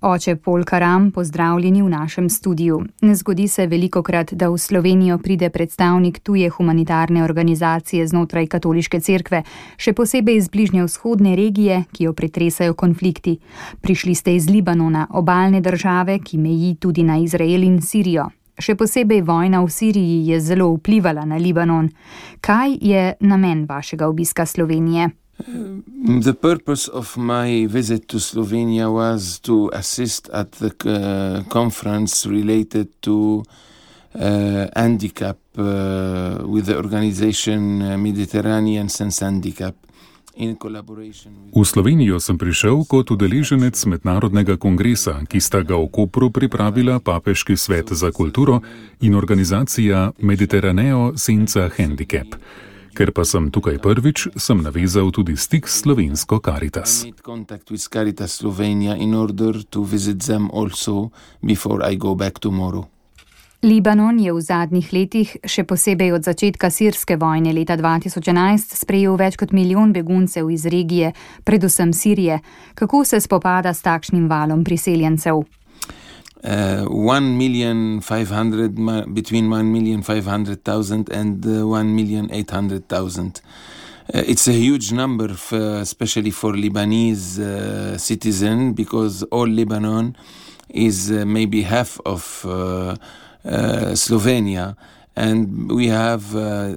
Oče Pol Karam, pozdravljeni v našem studiu. Ne zgodi se velikokrat, da v Slovenijo pride predstavnik tuje humanitarne organizacije znotraj katoliške cerkve, še posebej iz bližnje vzhodne regije, ki jo pretresajo konflikti. Prišli ste iz Libanona, obalne države, ki meji tudi na Izrael in Sirijo. Še posebej vojna v Siriji je zelo vplivala na Libanon. Kaj je namen vašega obiska Slovenije? The purpose of my visit to Slovenia was to assist at the conference related to handicap with the organization Mediterranean Sense Handicap. V Slovenijo sem prišel kot udeleženec mednarodnega kongresa, ki sta ga v Kopru pripravila Papeški svet za kulturo in organizacija Mediterraneo Sense Handicap. Ker pa sem tukaj prvič, sem navezal tudi stik s slovensko Caritas. Libanon je v zadnjih letih, še posebej od začetka sirske vojne leta 2011, sprejel več kot 1 milijon beguncev iz regije, predvsem Sirije. Kako se spopada s takšnim valom priseljencev? 1,500,000, between 1,500,000 and 1,800,000. It's a huge number, especially for Lebanese citizen, because all Lebanon is maybe half of Slovenia, and we have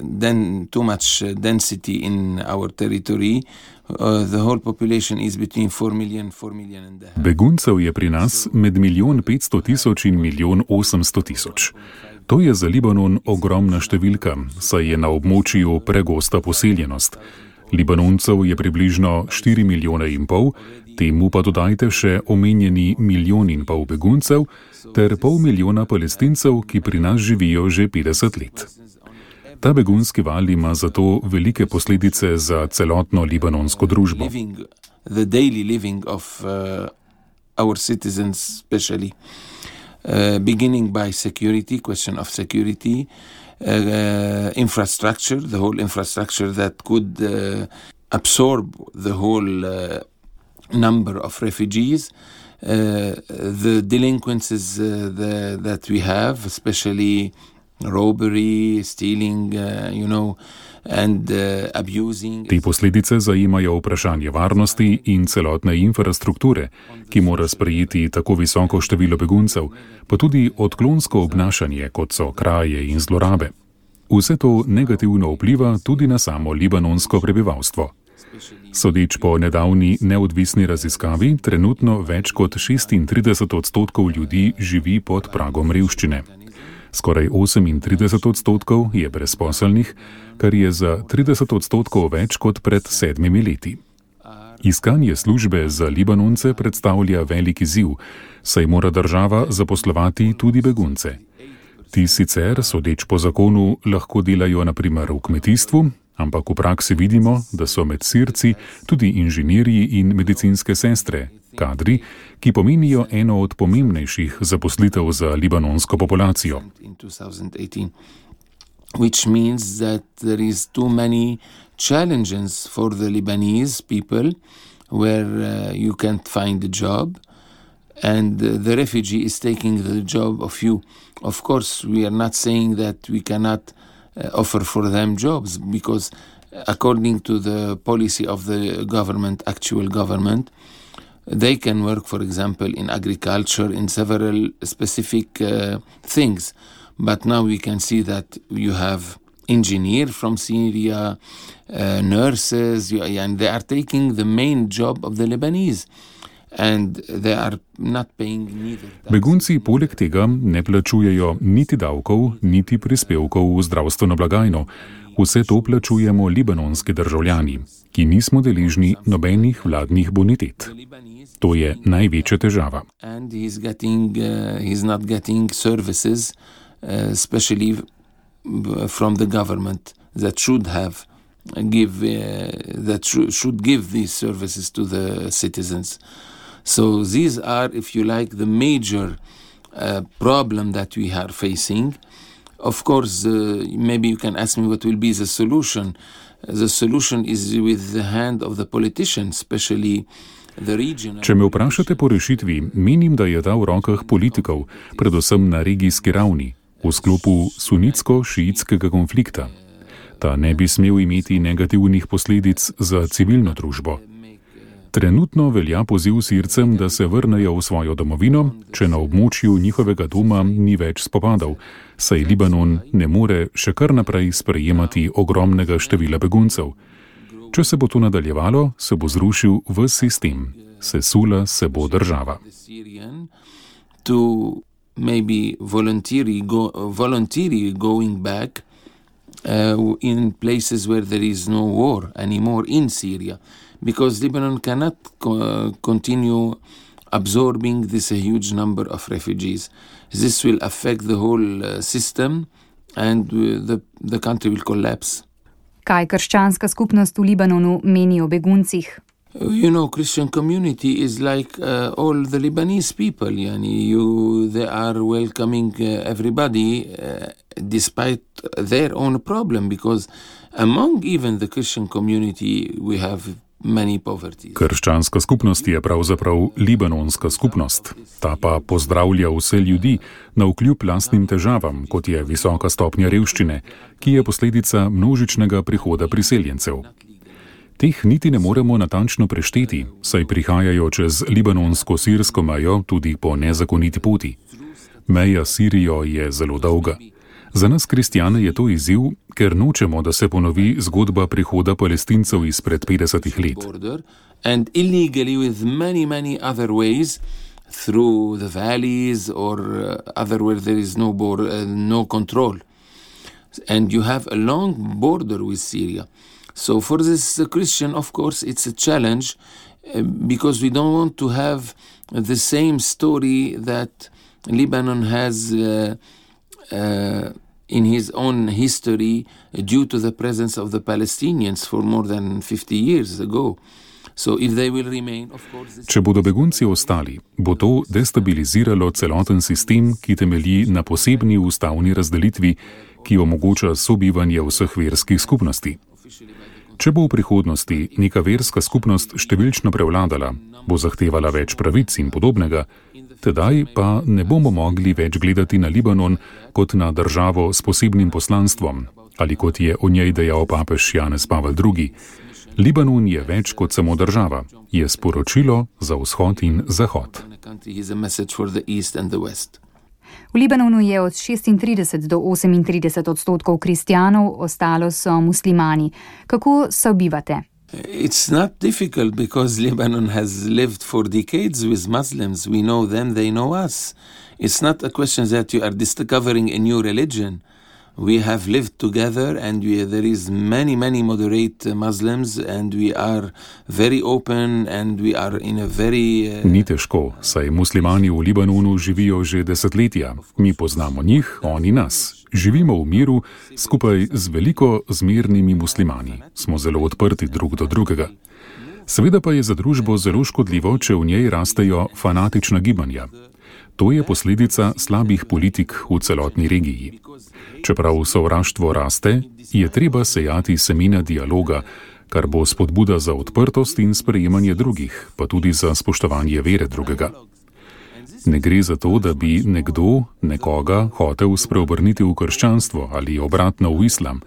then too much density in our territory. The whole population is between 4 million and a half. Beguncev je pri nas med 1,500,000 in 1,800,000. To je za Libanon ogromna številka, saj je na območju pregosta poseljenost. Libanoncev je približno 4,5 milijona, temu pa dodajte še omenjeni 1,5 milijona beguncev ter 0,5 milijona Palestincev, ki pri nas živijo že 50 let. Ta begunski val ima zato velike posledice za celotno libanonsko družbo. The daily living of our citizens especially, beginning by security, question of security, infrastructure, the whole infrastructure that could absorb the whole number of refugees, the delinquencies that we have, especially robbery, stealing, and abusing. Te posledice zajemajo vprašanje varnosti in celotne infrastrukture, ki mora sprejeti tako visoko število beguncev, pa tudi odklonsko obnašanje, kot so kraje in zlorabe. Vse to negativno vpliva tudi na samo libanonsko prebivalstvo. Sodeč po nedavni neodvisni raziskavi, trenutno več kot 36% ljudi živi pod pragom revščine. Skoraj 38% je brezposelnih, kar je za 30% več kot pred 7 leti. Iskanje službe za Libanonce predstavlja velik izziv, saj mora država zaposlovati tudi begunce. Ti sicer, sodeč po zakonu, lahko delajo na primer v kmetijstvu, ampak v praksi vidimo, da so med Sirci tudi inženirji in medicinske sestre, kadri, ki pomenijo eno od pomembnejših zaposlitev za libanonsko populacijo. Which means that there is too many challenges for the Lebanese people where you can't find a job and the refugee is taking the job of you. Of course, we are not saying that we cannot offer for them jobs, because according to the policy of the government, actual government, they can work, for example, in agriculture, in several specific things. But now we can see that you have engineers from Syria, nurses, and they are taking the main job of the Lebanese. And they are not paying neither. Begunci poleg tega ne plačujejo niti davkov, niti prispevkov v zdravstveno blagajno. Vse to plačujemo libanonski državljani, ki nismo deležni nobenih vladnih bonitet. To je največja težava. And he's not getting services, especially from the government that should give these services to the citizens. So these are, if you like, the major problem that we are facing. Of course, maybe you can ask me what will be the solution. The solution is with the hand of the politicians, especially Če me vprašate po rešitvi, menim, da je ta v rokah politikov, predvsem na regijski ravni, v sklopu sunitsko-šiitskega konflikta. Ta ne bi smel imeti negativnih posledic za civilno družbo. Trenutno velja poziv Sircem, da se vrnejo v svojo domovino, če na območju njihovega doma ni več spopadov, saj Libanon ne more še kar naprej sprejemati ogromnega števila beguncev. Če se bo to nadaljevalo, se bo zrušil ves sistem, sesula se bo država. Maybe voluntarily going back in places where there is no war anymore in Syria, because Lebanon cannot continue absorbing this huge number of refugees. This will affect the whole system and the country will collapse. Kaj krščanska skupnost v Libanonu meni o beguncih? You know, Christian community is like all the Lebanese people. They are welcoming everybody despite their own problem, because among even the Christian community we have many poverty. Krščanska skupnost je pravzaprav libanonska skupnost. Ta pa pozdravlja vse ljudi navkljub lastnim težavam, kot je visoka stopnja revščine, ki je posledica množičnega prihoda priseljencev. Teh niti ne moremo natančno prešteti, saj prihajajo čez libanonsko-sirsko mejo tudi po nezakoniti poti. Meja s Sirijo je zelo dolga. Za nas kristjane je to izziv, ker nočemo, da se ponovi zgodba prihoda Palestincev izpred 50 let. And illegally with many other ways through the valleys or other where there is no control. And you have a long border with Syria. So for this Christian, of course, it's a challenge because we don't want to have the same story that Lebanon has in his own history due to the presence of the Palestinians for more than 50 years ago. So if they will remain, of course... Če bodo begunci ostali, bo to destabiliziralo celoten sistem, ki temelji na posebni ustavni razdelitvi, ki omogoča sobivanje vseh verskih skupnosti. Če bo v prihodnosti neka verska skupnost številčno prevladala, bo zahtevala več pravic in podobnega, tedaj pa ne bomo mogli več gledati na Libanon kot na državo s posebnim poslanstvom, ali kot je o njej dejal papež Janez Pavel II. Libanon je več kot samo država, je sporočilo za vzhod in zahod. V Libanonu je od 36 do 38% kristjanov, ostalo so muslimani. Kako sobivate? It's not difficult because Lebanon has lived for decades with Muslims. We know them, they know us. It's not a question that you are discovering a new religion. We have lived together and there is many moderate Muslims and we are very open and we are in a very... Ni težko, saj muslimani v Libanonu živijo že desetletja. Mi poznamo njih, oni nas. Živimo v miru skupaj z veliko zmernimi muslimani. Smo zelo odprti drug do drugega. Seveda pa je za družbo zelo škodljivo, če v njej rastejo fanatična gibanja. To je posledica slabih politik v celotni regiji. Čeprav sovraštvo raste, je treba sejati semena dialoga, kar bo spodbuda za odprtost in sprejemanje drugih, pa tudi za spoštovanje vere drugega. Ne gre za to, da bi nekdo nekoga hotel spreobrniti v krščanstvo ali obratno v islam,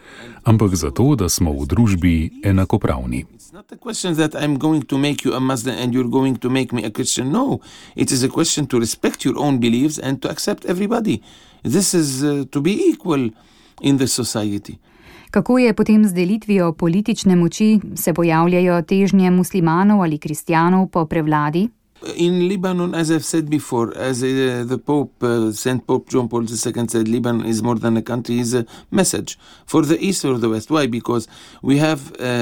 ampak za to, da smo v družbi enakopravni. It's not a question that I'm going to make you a Muslim and you're going to make me a Christian. No, it is a question to respect your own beliefs and to accept everybody. This is to be equal in the society. Kako je potem z delitvijo politične moči? Se pojavljajo težnje muslimanov ali kristjanov po prevladi? In Lebanon, as I've said before, as the Pope, Saint Pope John Paul II said, Lebanon is more than a country, is a message for the East or the West. Why? Because we have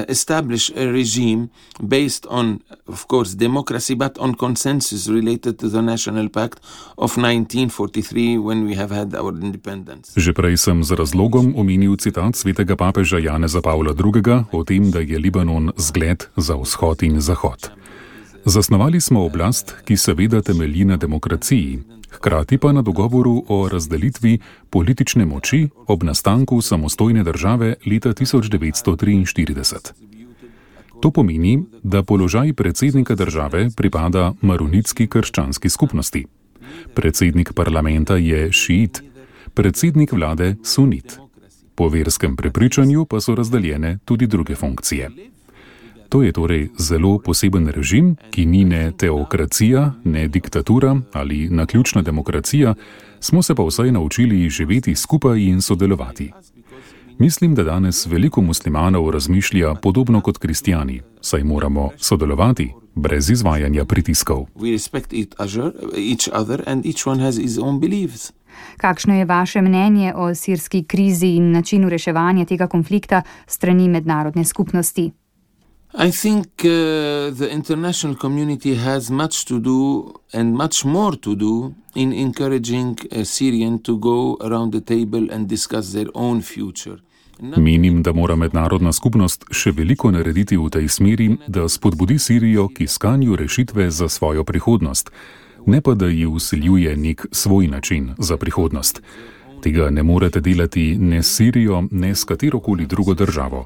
established a regime based on, of course, democracy, but on consensus related to the National Pact of 1943 when we have had our independence. Že prej sem z razlogom omenil citat svetega papeža Janeza Pavla II. O tem, da je Libanon zgled za vzhod in zahod. Zasnovali smo oblast, ki seveda temelji na demokraciji, hkrati pa na dogovoru o razdelitvi politične moči ob nastanku samostojne države leta 1943. To pomeni, da položaj predsednika države pripada maronitski krščanski skupnosti. Predsednik parlamenta je šiit, predsednik vlade sunit. Po verskem prepričanju pa so razdeljene tudi druge funkcije. To je torej zelo poseben režim, ki ni ne teokracija, ne diktatura ali naključna demokracija, smo se pa vsaj naučili živeti skupaj in sodelovati. Mislim, da danes veliko muslimanov razmišlja podobno kot kristjani, saj moramo sodelovati brez izvajanja pritiskov. Kakšno je vaše mnenje o sirski krizi in načinu reševanja tega konflikta strani mednarodne skupnosti? I think the international community has much to do and much more to do in encouraging Syrians to go around the table and discuss their own future. Menim, da mora mednarodna skupnost še veliko narediti v tej smeri, da spodbudi Sirijo k iskanju rešitve za svojo prihodnost, ne pa da ji vsiljuje nek svoj način za prihodnost. Tega ne morete delati ne s Sirijo, ne s katerokoli drugo državo.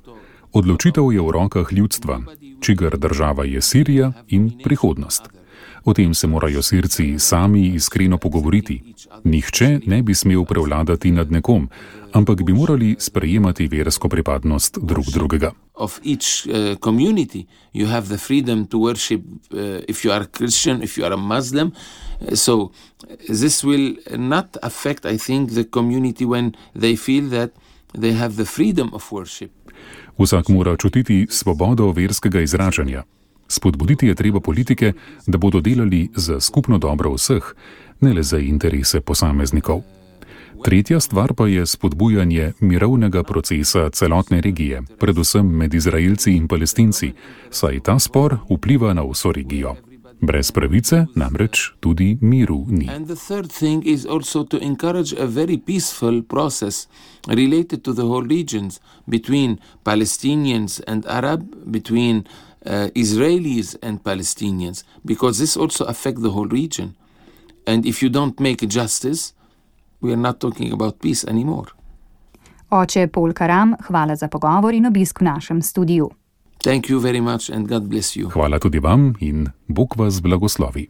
Odločitev je v rokah ljudstva, čigar država je Sirija in prihodnost. O tem se morajo Sirci sami iskreno pogovoriti. Nihče ne bi smel prevladati nad nekom, ampak bi morali sprejemati versko pripadnost drug drugega. Of each community you have the freedom to worship if you are Christian, if you are a Muslim. So this will not affect, I think, the community when they feel that they have the freedom of worship. Vsak mora čutiti svobodo verskega izražanja. Spodbuditi je treba politike, da bodo delali za skupno dobro vseh, ne le za interese posameznikov. Tretja stvar pa je spodbujanje mirovnega procesa celotne regije, predvsem med Izraelci in Palestinci, saj ta spor vpliva na vso regijo. Brez pravice namreč tudi miru ni. And the third thing is also to encourage a very peaceful process related to the whole regions between Palestinians and Arab, between Israelis and Palestinians, because this also affects the whole region. And if you don't make justice, we are not talking about peace anymore. Oče Paul Karam, hvala za pogovor in obisk v našem studiu. Thank you very much and God bless you. Hvala tudi vam in Bog vas blagoslovi.